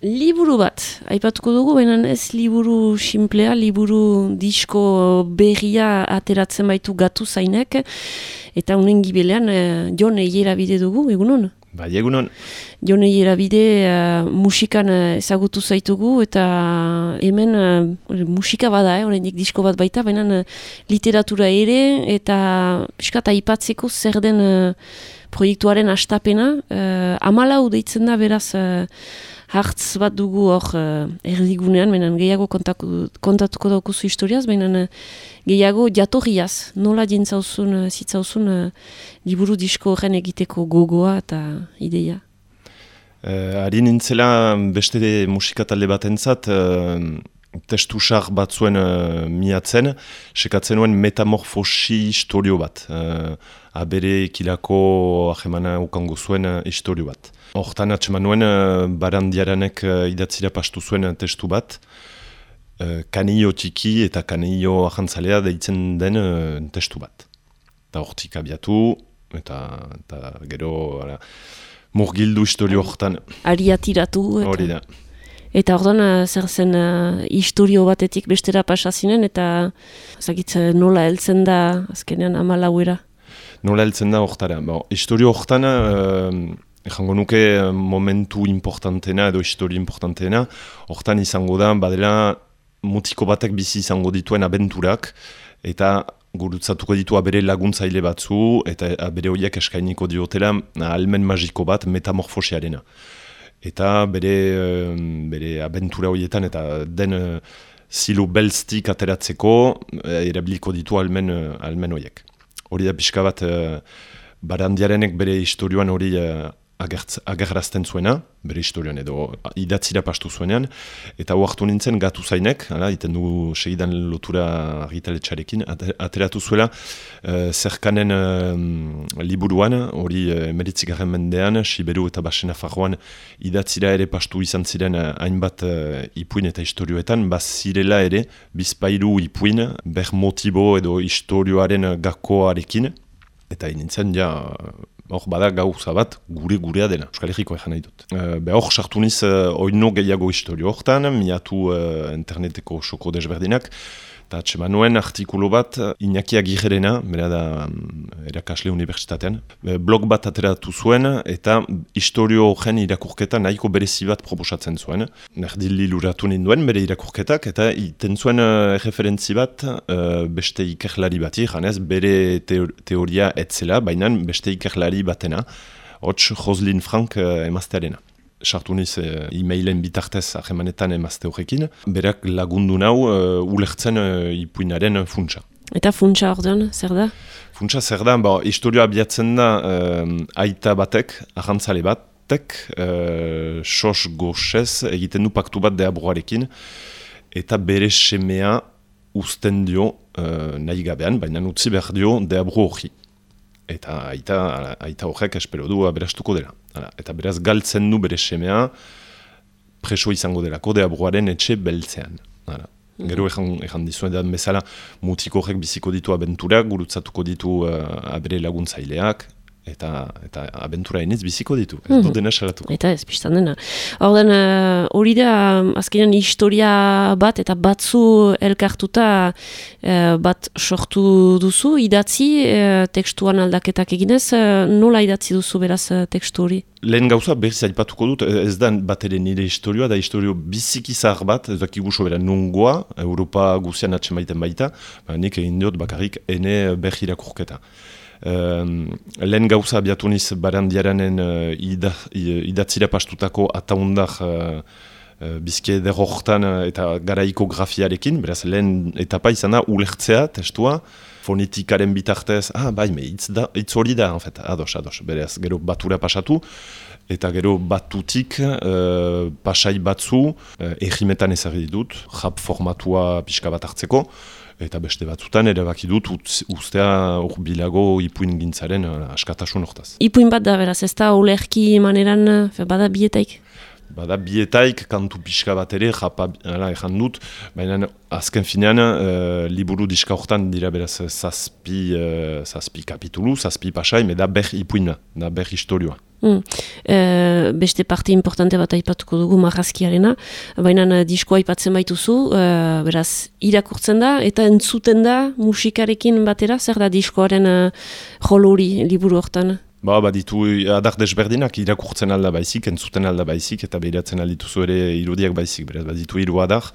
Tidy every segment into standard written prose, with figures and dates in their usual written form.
Liburu bat, aipatuko dugu, baina ez liburu simplea, liburu disko berria ateratzen baitu gatu zainek, eta unen gibelean Jon Eierabide dugu, egunon? Bai, egunon. Jon Eierabide musikan ezagutu zaitugu, eta hemen musika bada, oraindik disko bat baita, baina literatura ere, eta piskat aipatzeko zer den proiektuaren hastapena, 14 deitzen da beraz, hartz bat dugu hor erdigunean, baina gehiago kontatuko daukuzu historiaz, baina gehiago jatorriaz, nola zitzauzun liburu disko horren egiteko gogoa eta ideia? Ari nintzela beste musika talde batentzat, testu sar batzuen miatzen, sekatzen nuen metamorfosi historio bat. Abere kilako ahemana ukango zuen historio bat. Hortan atseman nuen Barandiaranek idatzira pastu zuen testu bat, Kanio txiki eta kanio ahantzalea deitzen den testu bat. Eta hortik abiatu, eta gero murgildu historio hortan. Ariatiratu. Hori da. Eta orduan zer zen historio batetik bestera pasazinen, eta nola heltzen da azkenean 14era? Nola heltzen da hortara. Historio hortan, jango nuke momentu importantena edo historio importantena, hortan izango da, badela mutiko batek bizi izango dituen abenturak, eta gurutzatuko ditu abere laguntzaile batzu, eta abere horiek eskainiko diotela almen magiko bat metamorfosiarena. Eta bere abentura horietan eta den zilo belztik ateratzeko erabiliko ditu almen horiek. Hori da pixka bat Barandiarenek bere historioan hori agerrazten zuena, bere historioan edo idatzira pastu zuenean, eta huartu nintzen gatu zainek, iten du segidan lotura argitaletxarekin, ateratu zuela zerkanen liburuan, hori 19. mendean, Siberu eta Basen Nafarroan idatzira ere pastu izan ziren hainbat ipuin eta historioetan, bazirela ere bizpairu ipuin, ber motibo edo historioaren gakoarekin, eta nintzen hor bada gauza bat gurea dela, Euskal Herriko nahi dut. Hor sartu niz oino gehiago historio hortan, miatu interneteko soko desberdinak, eta atseman nuen artikulu bat Iñaki Agirrena, bera da erakasle unibertsitatean, blog bat ateratu zuen, eta historio horren irakurketa nahiko berezi bat proposatzen zuen. Nerdili luratu ninduen bere irakurketak, eta iten zuen referentzi bat beste ikerlari bati, janez bere teoria etzela, baina beste ikerlari batena, hots Roslyn Frank emaztearena. Sartu niz e-mailen bitartez ahemanetan emazte horrekin, berak lagundu nau ulertzen ipuinaren funtsa. Eta funtsa ordean, zer da? Funtsa zer da, historioa abiatzen da aita batek, ahantzale batek, sos goxez egiten du paktu bat deabroarekin, eta bere semea uzten dio nahi gabean, baina utzi behar dio deabro hori. Eta aita horrek espero du aberastuko dela. Eta beraz galtzen du bere semea preso izango delako deabroaren etxe beltzean. Gero ejan dizuen edan bezala mutiko horrek biziko ditu abenturak, gurutzatuko ditu abere laguntzaileak, eta abentura eniz biziko ditu, ez dut dena salatuko. Eta ez, biztan dena. Hori da, azkenean historia bat eta batzu elkartuta bat sortu duzu, idatzi, tekstuan aldaketak eginez, nola idatzi duzu beraz tekstu hori? Lehen gauza berriz aipatuko dut, ez da bat ere nire historioa, da historio biziki zahar bat, ez dakigu sobera nungoa, Europa guzian atsemaiten baita, nik egin diot bakarrik ene berri irakurketa. Lehen gauza abiatu niz Barandiaranen idatzira pastutako ataundar bizke derrohtan eta garaiko grafiarekin, beraz lehen etapa izan da ulertzea testua, fonetikaren bitartez, hitz hori da, en fait, ados, beraz gero batura pasatu, eta gero batutik pasai batzu egimetan ezagri dut, rap formatua pixka bat hartzeko, eta beste batzutan erabaki dut ustea urbilago ipuin gintzaren askatasun hortaz. Ipuin bat da beraz, ez da ulerki maneran bada bietaik? Bada bietaik kantu pixka bat ere, ejan dut, baina azken finean liburu diska hortan dira beraz zazpi kapitulu, zazpi pasai, da ber ipuina, da ber historioa. Beste parte importante bat aipatuko dugu marrazkiarena, baina diskoa aipatzen baituzu, beraz irakurtzen da eta entzuten da musikarekin batera, zer da diskoaren joluri liburu hortan? Ditu adar desberdinak irakurtzen alda baizik, entzuten alda baizik, eta behiratzen aldituzu ere irudiak baizik. Beraz, ditu 3 adar,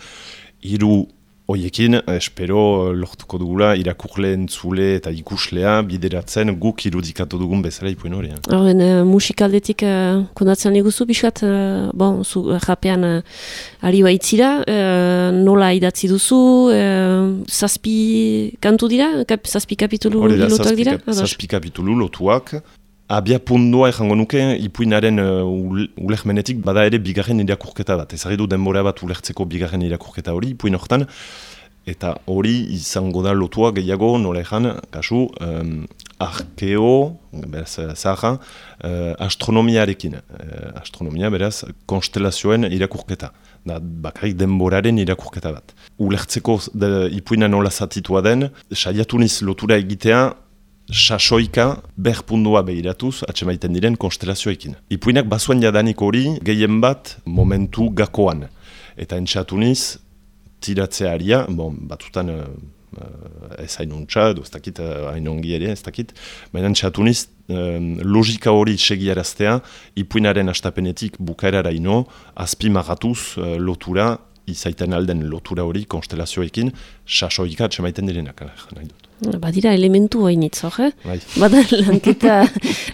3 hoiekin, espero lortuko dugula irakurle, entzule eta ikuslea bideratzen guk irudikatu dugun bezala ipuin hori. Musikaldetik kondatzen liguzu, biskat, zu japean ari baitzira, nola idatzi duzu, zazpi kantu dira, zazpi kapitulu lotuak dira? Zazpi kapitulu lotuak. Abia pundua ejango nuke, ipuinaren ulermenetik bada ere bigarren irakurketa bat. Ezagidu denbora bat ulertzeko bigarren irakurketa hori, ipuin hortan. Eta hori izango da lotua gehiago, nola ejan, kasu, arkeo, zaharra, astronomiarekin. Astronomia, beraz, konstelazioen irakurketa. Bakarrik denboraren irakurketa bat. Ulertzeko ipuina nola zatitua den, saiatu niz lotura egitea, sasoika berpundua behiratuz atxemaiten diren konstelazioekin. Ipuinak bazuen jadanik hori gehien bat momentu gakoan. Eta entxatu niz, tiratzearia, batutan ez hainuntza, edo ez dakit, hainongi ere, ez dakit, baina entxatu niz, logika hori segiaraztea, ipuinaren astapenetik bukaerara ino, azpimagatuz lotura, izaiten alden lotura hori konstelazioekin, sasoika atxemaiten direnak, nahi dut. Badira elementu hainitz, Bada lanketa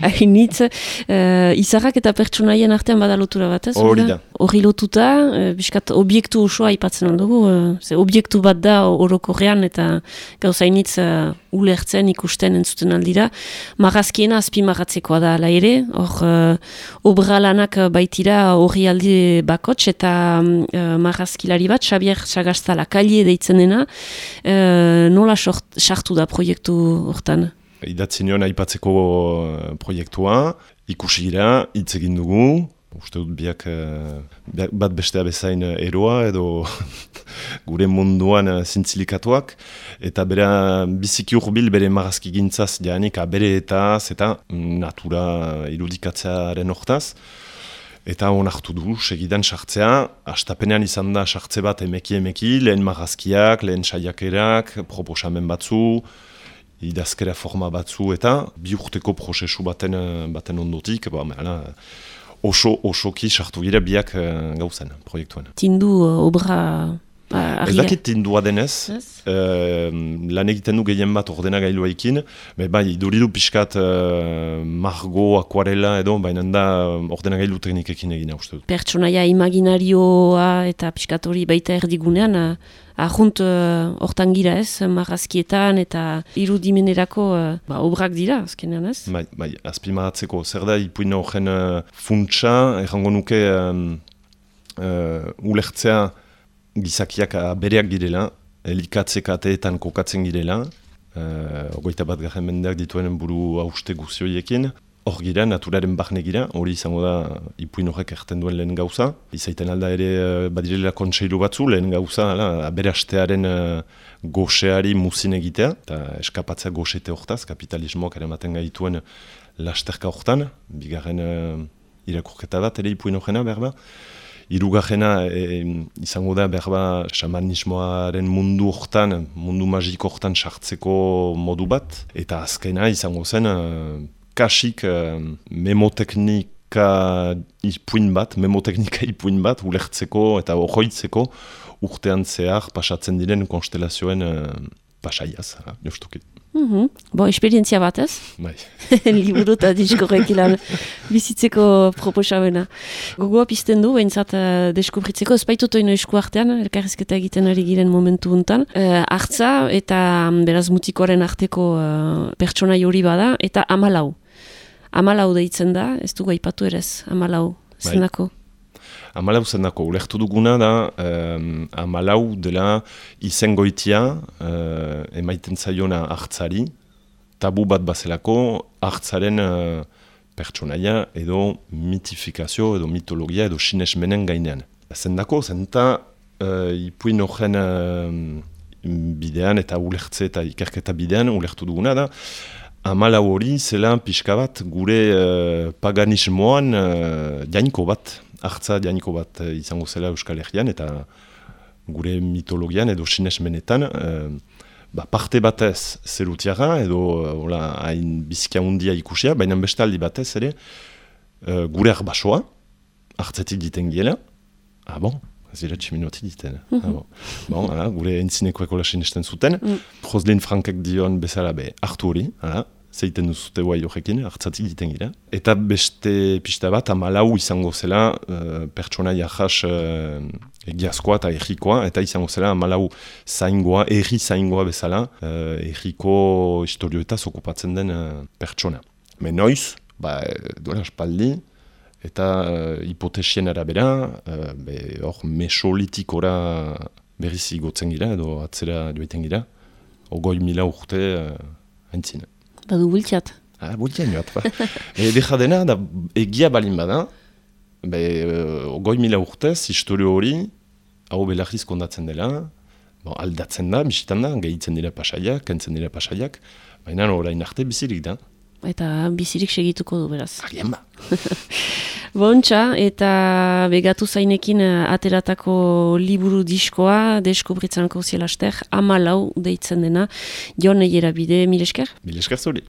hainitz, izarrak eta pertsonaien artean bada lotura bat, ez? Hori da. Hori lotuta, biskat objektu osoa aipatzen aldugu, objektu bat da orokorrean eta gauza hainitz ulertzen, ikusten, entzuten aldira. Marrazkiena azpimarratzekoa da ala ere, hor obra lanak baitira hori aldi bakots eta marrazkilari bat, Xabier Sagastala Kalie deitzen dena, nola sartu da proiektu hortan? Idatzi nion aipatzeko proiektua, ikusi gira, hitz egin dugu, uste dut biak bat bestea bezain eroa edo gure munduan zintzilikatuak, eta bera biziki urbil bere marrazki gintzaz janik abereetaz eta natura irudikatzearen hortaz. Eta onartu du, segidan sartzea, astapenean izan da sartze bat emeki, lehen marrazkiak, lehen saiakerak, proposamen batzu, idazkera forma batzu, eta bi urteko prozesu baten ondotik, osoki sartu gira biak gauzen, proiektuan. Tindu obra... Ez dakit tindua denez, lan egiten du gehien bat ordenagailuekin, iduridu pixkat margo, akuarela edo, baina da ordenagailu teknikekin egina uste dut. Pertsonaia imaginarioa eta pixkat hori baita erdigunean, ahunt hortan gira ez, marrazkietan eta irudimenerako obrak dira, azkenean ez? Azpimaratzeko, zer da ipuina horren funtsa, errango nuke ulertzea gizakiak bereak girela, elikatzekateetan kokatzen girela, 21. mendeak dituen buru hauste guzioiekin. Hor gira, naturaren barne gira, hori izango da ipuin horrek erten duen lehen gauza. Izaiten alda ere badirela kontseilu batzu, lehen gauza, aberastearen goxeari muzin egitea, eta eskapatzea goxete hortaz, kapitalismoak eramaten gaituen lasterka hortan, bigarren irakurketa bat, ere ipuin horrena, berba. Hirugarrena izango da berba xamanismoaren mundu hortan, mundu magiko hortan sartzeko modu bat. Eta azkena izango zen kasik memoteknika ipuin bat, ulertzeko eta ohoitzeko urtean zehar pasatzen diren konstelazioen pasaiaz, justuki. Esperientzia bat ez? Bai. Liburu eta diskorrek ilan bizitzeko proposamena. Gogoa pizten du, behintzat deskubritzeko, ez baitut oino esku artean, elkarrizketa egiten ari giren momentu hontan. Artza eta beraz mutikoaren arteko pertsonai hori bada, eta 14. 14 deitzen da, ez dugu aipatu erez, 14 zenako. 14 zendako, ulertu duguna da 14 dela izengoitia emaiten zaiona hartzari, tabu bat bazelako hartzaren pertsonaia edo mitifikazio edo mitologia edo sinesmenen gainean. Zendako, zenta ipuin horren bidean eta ulertze eta ikerketa bidean ulertu duguna da, Amalau hori zela pixka bat gure paganismoan jainko bat, hartza jainko bat izango zela Euskal Herrian eta gure mitologian edo sinesmenetan parte batez zerutiara edo hain bizkia hundia ikusia, baina bestaldi batez ere gure arbasoa hartzetik diten giela. Ez dira tximinoati diten. Gure entzinekoek hola sinesten zuten. Joslin Frankek dion bezala hartu hori, zeiten duzute guai horrekin, hartzatik diten gira. Eta beste pista bat, Amalau izango zela pertsonaia jas egiazkoa eta errikoa, eta izango zela Amalau zaingoa, erri zaingoa bezala, erriko historioetaz okupatzen den pertsona. Noiz, duela espaldi, eta hipotesien arabera, hor mesolitikora berriz igotzen gira, edo atzera joiten gira, 20.000 urte haintzina. Badu bultxat. Bultxan joat, Deja dena, egia balin bada, 20.000 urtez, historio hori, hau belarriz kondatzen dela, aldatzen da, bisitan da, gehitzen dira pasaiak, kentzen dira pasaiak, baina orain arte bizirik da. Eta bizirik segituko du, beraz. Agian ba. Bontxa, eta begatu zainekin ateratako liburu diskoa, Deskubritzanko zielaster, Amalau deitzen dena, Jon Eierabide, mil esker? Mil esker zuri.